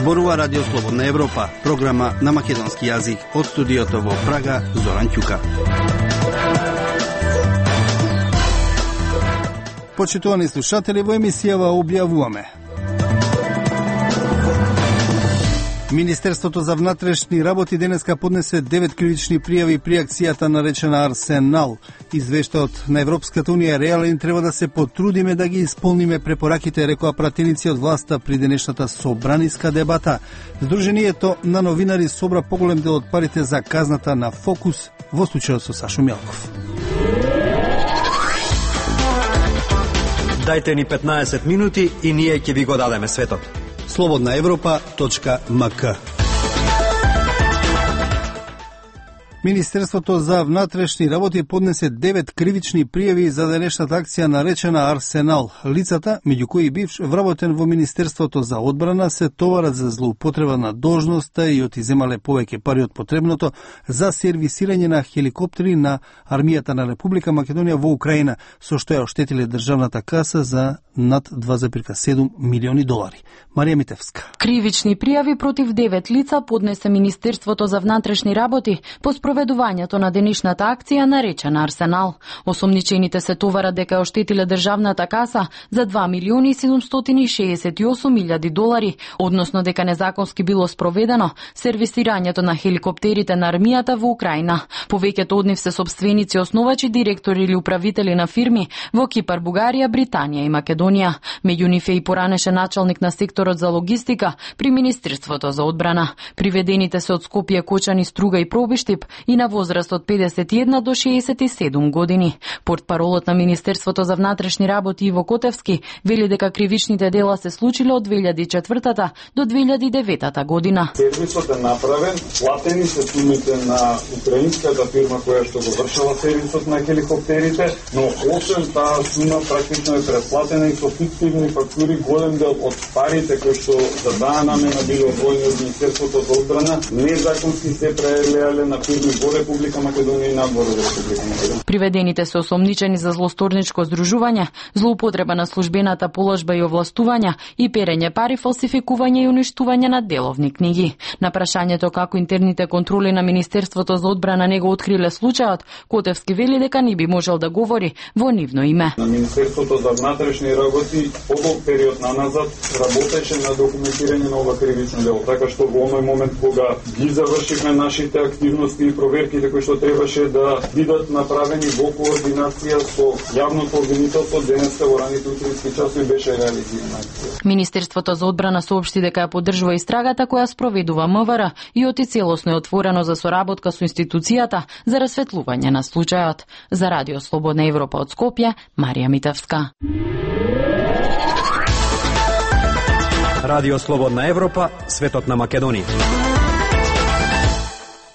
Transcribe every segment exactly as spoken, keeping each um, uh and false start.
Зборува Радио Слободна Европа, програма на македонски јазик од студиото во Прага, Зоран Ќука. Почитувани слушатели, во емисијава објавуваме: Министерството за внатрешни работи денеска поднесе девет кривични пријави при акцијата наречена Арсенал. Извештајот на Европската унија реален, треба да се потрудиме да ги исполниме препораките, рекоа пратеници од власта при денешната собраниска дебата. Сдруженијето на новинари собра поголем дел од парите за казната на Фокус, во случајот со Сашо Мјалков. Дајте ни петнаесет минути и ние ќе ви го дадеме светот. слободна европа точка ем ка. Министерството за внатрешни работи поднесе девет кривични пријави за денешната акција наречена Арсенал. Лицата, меѓу кои бивш вработен во Министерството за одбрана, се товарат за злоупотреба на должноста и отиземале повеќе пари од потребното за сервисирање на хеликоптери на армијата на Република Македонија во Украина, со што ја оштетиле државната каса за над два зарез и седум милиони долари. Марија Митевска. Кривични пријави против девет лица поднесе Министерството за внатрешни работи по спроведувањето на денешната акција наречена Арсенал. Осомничените се товарат дека ја оштетиле државната каса за два милиони седумстотини шеесет и осум илјади долари, односно дека незаконски било спроведено сервисирањето на хеликоптерите на армијата во Украина. Повеќето од нив се собственици, основачи, директори или управители на фирми во Кипар, Бугарија, Британија и Македонија. Меѓу нив е и поранешен началник на секторот за логистика при Министерството за одбрана. Приведените се од Скопје, Кочани, Струга и Пробиштип и на возраст од педесет и една до шеесет и седум години. Портпаролот на Министерството за внатрешни работи Иво Котевски вели дека кривичните дела се случиле од две илјади и четвртата до две илјади и деветата година. Сервисот е направен, платени се сумите на украинската фирма која што го вршела сервисот на хеликоптерите, но освен таа сума практично е предплатена и со фиктивни фактури. Голем дел од парите кои што за таа намена биле одвоени од Министерството за одбрана незаконски се прелеале на фирми во Република Македонија и надвор од Република Македонија. Приведените се осомничени за злосторничко здружување, злоупотреба на службената положба и овластувања и перење пари, фалсификување и уништување на деловни книги. На прашањето како интерните контроли на Министерството за одбрана не го откриле случајот, Котевски вели дека не би можел да говори во нивно име. На Министерството за внатрешни работи подолг период наназад работеше на документирање на ова кривично дело, така што во овој момент кога ги завршивме нашите активности и проверките кои што требаше да бидат направени во координација со јавното обвинителство, денеска во раните утрински часови беше реализирана. Министерството за одбрана соопшти дека ја поддржува истрагата која спроведува МВР и оти целосно е отворено за соработка со институцијата за расветлување на случајот. За Радио Слободна Европа од Скопје, Марија Митевска. Радио Слободна Европа, светот на Македонија.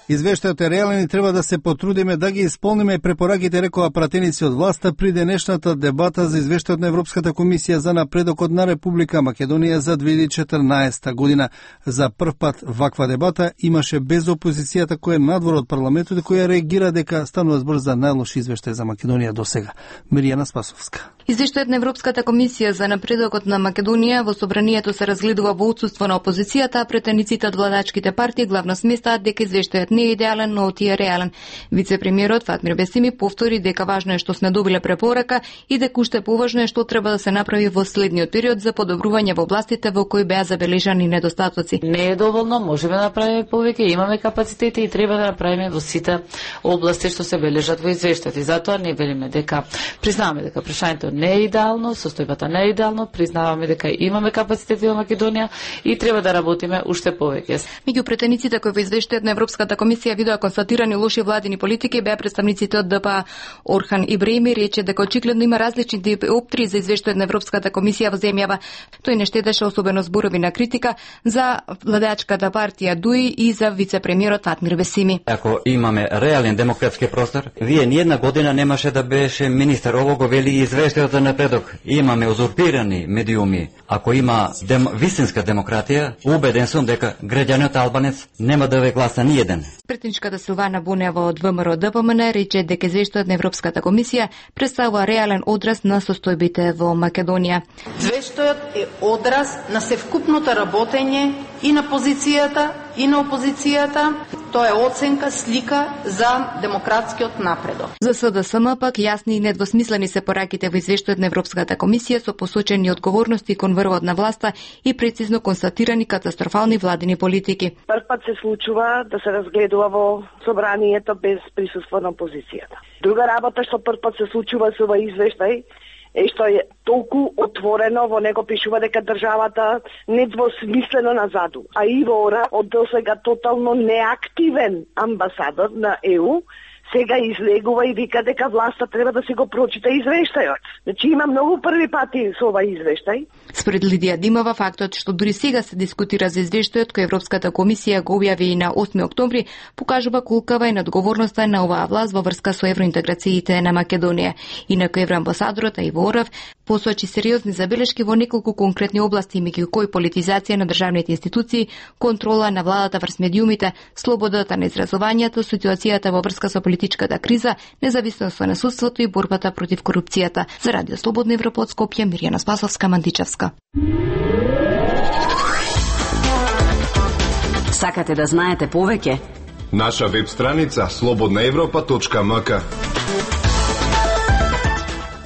Извештајот е реален и треба да се потрудиме да ги исполниме препораките, рекоа пратеници од власта при денешната дебата за извештајот на Европската комисија за напредокот на Република Македонија за две илјади и четрнаесета година. За прв пат ваква дебата имаше без опозицијата која е надвор од парламентот и која реагира дека станува збор за најлош извештај за Македонија досега. Миријана Спасовска. Извештајот на Европската комисија за напредокот на Македонија во собранието се разгледува во отсуство на опозицијата, а претениците од владачките партии главно сместаат дека извештајот не е идеален, но оти е реален. Вице-премиерот Фатмир Бесими повтори дека важно е што сме добиле препорака и дека уште поважно е што треба да се направи во следниот период за подобрување во областите во кои беа забележани недостатоци. Не е доволно, можеме да направиме повеќе, имаме капацитети и треба да направиме во сите области што се бележат во извештајот. И затоа не велиме дека признаваме дека прашањето не е идеално, состојбата не е идеално, признаваме дека имаме капацитети во Македонија и треба да работиме уште повеќе. Меѓу претениците кои во извештајот на Европската комисија видоа констатирани лоши владини политики беа представниците од ДПА. Орхан Ибраими рече дека очигледно има различни диоптрии за извештајот на Европската комисија во земјава. Тој не штедеше особено зборови на критика за владачката партија ДУИ и за вице-премиерот Фатмир Бесими. Ако имаме реален демократски простор, вие ни една година немаше да беше министер. Ово го вели извештајот извештајот напредок имаме узурпирани медиуми, ако има дем, вистинска демократија, убеден сум дека граѓанот албанец нема да ве гласа ни еден. Претничката Силвана Бунева од ВМРО Д П М Н рече дека извештајот на Европската комисија представува реален одраз на состојбите во Македонија. Извештајот е одраз на севкупното работење и на позицијата и на опозицијата. Тоа е оценка, слика за демократскиот напредок. За С Д С М пак јасни и недвосмислени се пораките во извештајот на Европската комисија со посочени одговорности кон врвот на власта и прецизно констатирани катастрофални владини политики. Прв пат се случува да се разгледува во собранието без присуство на опозицијата. Друга работа што прв пат се случува со овој извештај е што е толку отворено, во него пишува дека државата недвосмислено назаду. А Иво Ора, од досега тотално неактивен амбасадор на Е У, сега излегува и вика дека власта треба да се го прочита извештајот. Значи има многу први пати со овај извештај. Според Лидија Димова, фактот што дури сега се дискутира за извештајот кој Европската комисија го објави и на осми октомври, покажува колкава е надговорноста на оваа власт во врска со евроинтеграциите на Македонија. Инаку евроамбасадорот Иво Орав посочи сериозни забелешки во неколку конкретни области, меѓу кои политизација на државните институции, контрола на владата врз медиумите, слободата на изразувањето, ситуацијата во врска со политичката криза, независноста на судството и борбата против корупцијата. За Радио Слободна Европа од Скопје, Мирјана Спасовска, Мандичевска. Сакате да знаете повеќе? Наша веб страница слободна европа точка м к.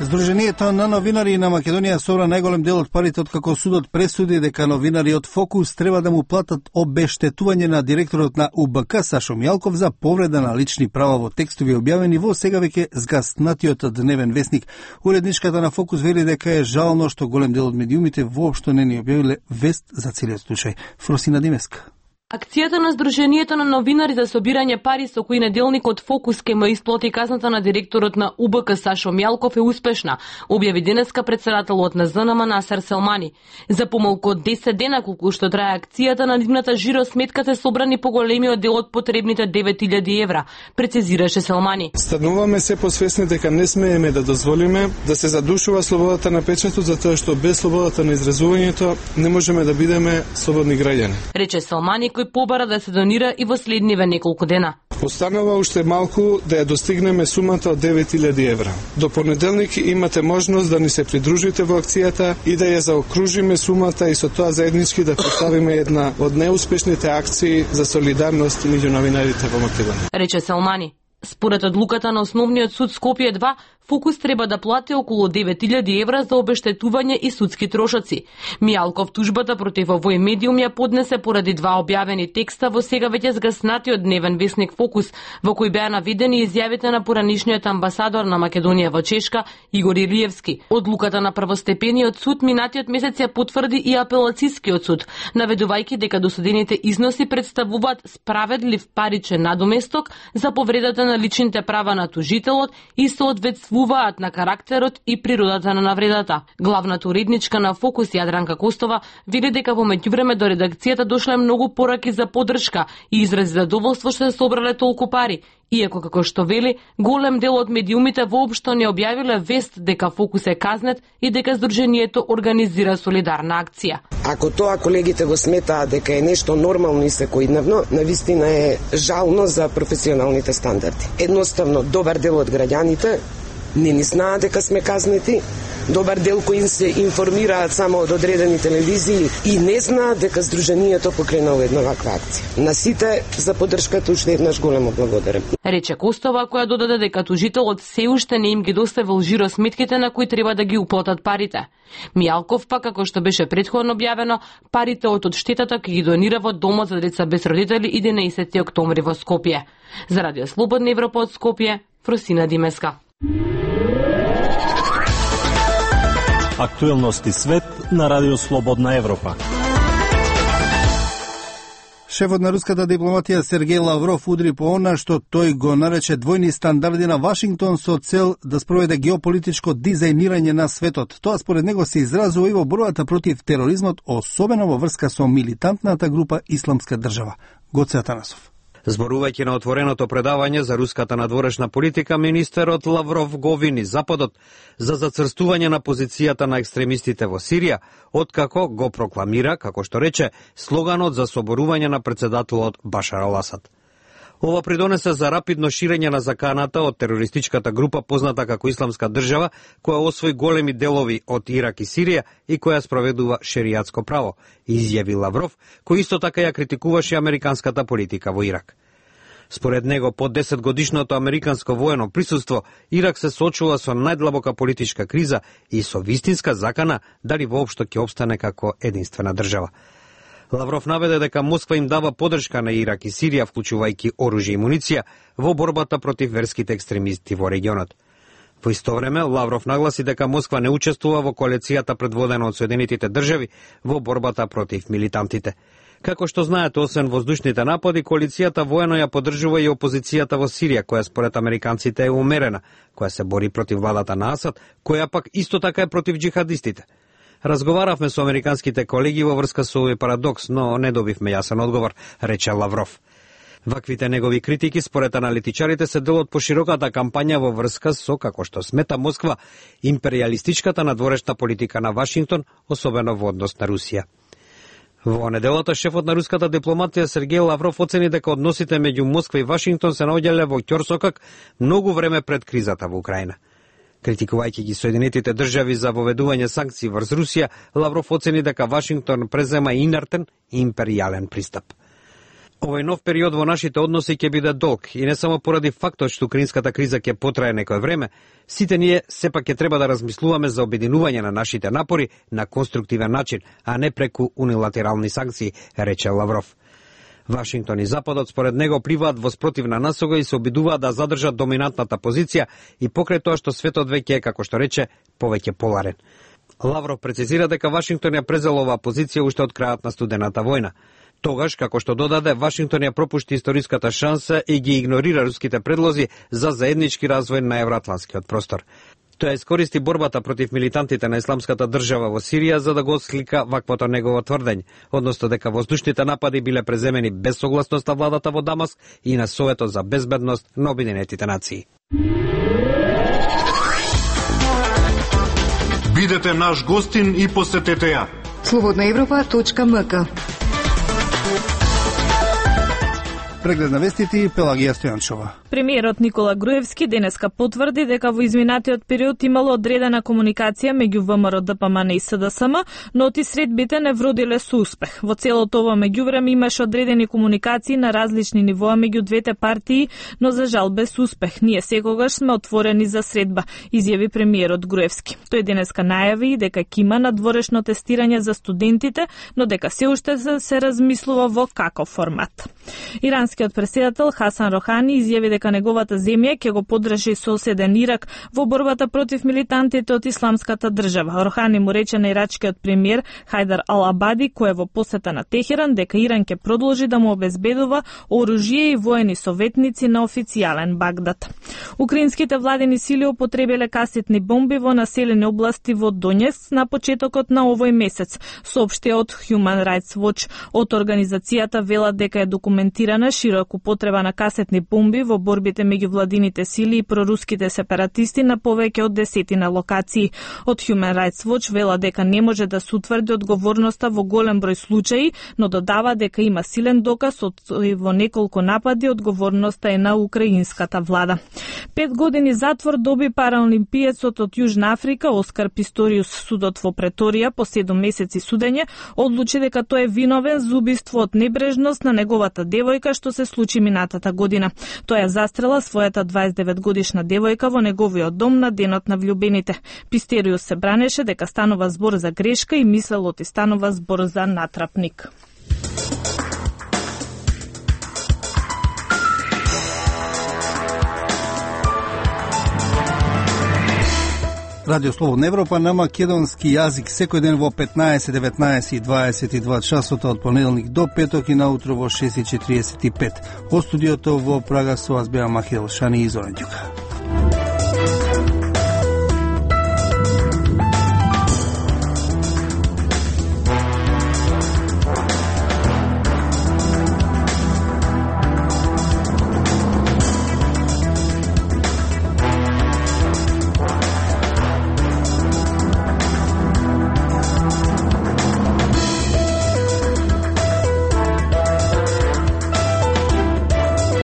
Сдруженијето на новинари на Македонија собра најголем дел од парите откако судот пресуди дека новинари од Фокус треба да му платат обештетување на директорот на У Б К Сашо Мјалков за повреда на лични права во текстови објавени во сега веќе згаснатиот Дневен весник. Уредничката на Фокус вели дека е жално што голем дел од медиумите воопшто не ни објавиле вест за целиот случај. Фросина Димеска. Акцијата на Сдруженијето на новинари за собирање пари со кои неделникот Фокус ке му исплати казната на директорот на У Б К Сашо Мјалков е успешна, објави денеска претседателот на З Н М Насер Селмани. За помалку од десет дена колку што трае акцијата, на нивната жиро сметка се собрани поголемиот дел од потребните девет илјади евра, прецизираше Селмани. Стануваме се посвесни дека не смееме да дозволиме да се задушува слободата на печатот, затоа што без слободата на изразувањето не можеме да бидеме слободни граѓани. Рече Селмани, кој побара да се донира и во следниве неколку дена. Останува уште малку да ја достигнеме сумата од девет илјади евра. До понеделник имате можност да ни се придружите во акцијата и да ја заокружиме сумата и со тоа заеднички да поставиме една од неуспешните акции за солидарност меѓу новинарите во Македонија. Рече Селмани. Според одлуката на Основниот суд Скопје два, Фокус треба да плати околу девет илјади евра за обештетување и судски трошоци. Мјалков тужбата против овој медиум ја поднесе поради два објавени текста во сега веќе згаснатиот Дневен весник Фокус, во кој беа наведени изјавите на поранишниот амбасадор на Македонија во Чешка, Игор Илиевски. Одлуката на првостепениот суд минатиот месец ја потврди и апелацискиот суд, наведувајќи дека досудените износи представуваат справедлив паричен надоместок за повредата на личните права на тужителот и соодветствуваат на карактерот и природата на навредата. Главната уредничка на Фокус Јадранка Костова вели дека во меѓувреме до редакцијата дошле многу пораки за поддршка и изрази задоволство што се собрале толку пари, иако како што вели, голем дел од медиумите воопшто не објавиле вест дека Фокус е казнет и дека Сдруженијето организира солидарна акција. Ако тоа колегите го сметаат дека е нешто нормално и секојдневно, навистина е жално за професионалните стандарди. Едноставно, добар дел од граѓаните не ни знаат дека сме казнети, добар дел кои се информираат само од одредени телевизии и не знаат дека Сдруженијето покренало една ваква акција. На сите за поддршката уште еднаш големо благодарам. Рече Костова, која додаде дека тужителот се уште не им ги доставил жиро сметките на кои треба да ги уплатат парите. Мјалков пак, како што беше претходно објавено, парите од одштетата ќе ги донира во Домот за деца без родители единаесети октомври во Скопје. За Радио Слободна Европа од Скопје, Фросина Димеска. Актуелности свет на Радио Слободна Европа. Шефот на руската дипломатија Сергеј Лавров удри по она што тој го нарече двојни стандарди на Вашингтон со цел да спроведе геополитичко дизајнирање на светот. Тоа според него се изразува и во борбата против тероризмот, особено во врска со милитантната група Исламска држава. Гоце Атанасов. Зборувајќи на отвореното предавање за руската надворешна политика, министерот Лавров го обвини Западот за зацрстување на позицијата на екстремистите во Сирија, откако го прокламира, како што рече, слоганот за соборување на председателот Башар ал-Асад. Ова придонесе за рапидно ширење на заканата од терористичката група позната како Исламска држава, која освои големи делови од Ирак и Сирија и која спроведува шеријатско право, изјави Лавров, кој исто така ја критикуваше американската политика во Ирак. Според него, по десет годишното американско воено присуство, Ирак се соочува со најдлабока политичка криза и со вистинска закана дали воопшто ќе обстане како единствена држава. Лавров наведе дека Москва им дава подршка на Ирак и Сирија, вклучувајќи оружје и муниција, во борбата против верските екстремисти во регионот. Во исто време, Лавров нагласи дека Москва не учествува во коалицијата предводена од Соединетите држави во борбата против милитантите. Како што знаете, освен воздушните напади, коалицијата воено ја поддржува и опозицијата во Сирија, која според американците е умерена, која се бори против владата на Асад, која пак исто така е против џихадистите. Разговаравме со американските колеги во врска со овој парадокс, но не добивме јасен одговор, рече Лавров. Ваквите негови критики, според аналитичарите, се дел од пошироката кампања во врска со, како што смета Москва, империалистичката надворешна политика на Вашингтон, особено во однос на Русија. Во неделата, шефот на руската дипломатија Сергеј Лавров оцени дека односите меѓу Москва и Вашингтон се наоѓале во ќорсокак многу време пред кризата во Украина. Критикувајќи ги Соединетите држави за воведување санкции врз Русија, Лавров оцени дека Вашингтон презема инертен и империјален пристап. Овој нов период во нашите односи ќе биде долг и не само поради фактот што украинската криза ќе потрае некој време, сите ние сепак ќе треба да размислуваме за обединување на нашите напори на конструктивен начин, а не преку унилатерални санкции, рече Лавров. Вашингтон и Западот според него пливаат во спротивна насока и се обидуваат да задржат доминантната позиција и покрај тоа што светот веќе е, како што рече, повеќе поларен. Лавров прецизира дека Вашингтон ја презел оваа позиција уште од крајот на студената војна. Тогаш, како што додаде, Вашингтон ја пропушти историската шанса и ги игнорира руските предлози за заеднички развој на евроатлантскиот простор. Тој искористи борбата против милитантите на Исламската држава во Сирија за да го отслика ваквото негово тврдење, односно дека воздушните напади биле преземени без согласност на владата во Дамаск и на Советот за безбедност на Обединетите нации. Бидете наш гостин и посетете ја. слободна европа точка ем ка. Преглед на вестите и Пелагија Стојанчова. Премиерот Никола Груевски денеска потврди дека во изминатиот период имало одредена комуникација меѓу ВМРО Д П М Н и С Д С М, но ти средбите не вродиле со успех. Во целото ова меѓувреме имаше одредени комуникации на различни нивоа меѓу двете партии, но за жал без успех. Ние секогаш сме отворени за средба, изјави премиерот Груевски. Тој денеска најави дека ќе има надворешно тестирање за студентите, но дека се уште се размислува во каков формат. Иранскиот претседател Хасан Рохани изјави дека неговата земја ќе го поддржи соседен Ирак во борбата против милитантите од Исламската држава. Рохани му рече на ирачкиот премиер Хајдар Ал-Абади, кој е во посета на Техеран, дека Иран ќе продолжи да му обезбедува оружје и воени советници на официјален Багдад. Украинските владени сили употребиле касетни бомби во населени области во Донецк на почетокот на овој месец, соопшти од Human Rights Watch. Од организацијата велат дека е документирана широка употреба на касетни бомби во борбите меѓу владините сили и проруските сепаратисти на повеќе од десетина локации. Од Human Rights Watch вела дека не може да се утврди одговорноста во голем број случаи, но додава дека има силен доказ од во неколку напади одговорноста е на украинската влада. Пет години затвор доби параолимпиецот од Јужна Африка Оскар Писториус. Судот во Преторија по седум месеци судење одлучи дека тој е виновен за убиство од небрежност на неговата девојка што се случи минатата година. Тој ја застрела својата дваесет и девет годишна девојка во неговиот дом на денот на влюбените. Пистериус се бранеше дека станува збор за грешка и мислел оти станува збор за натрапник. Радио Слободна Европа на македонски јазик секој ден во петнаесет, деветнаесет и дваесет и два часота од понеделник до петок и наутро во шест и четириесет и пет. Од студиото во Прага со вас беа Махил Шани и Зоран Ѓука.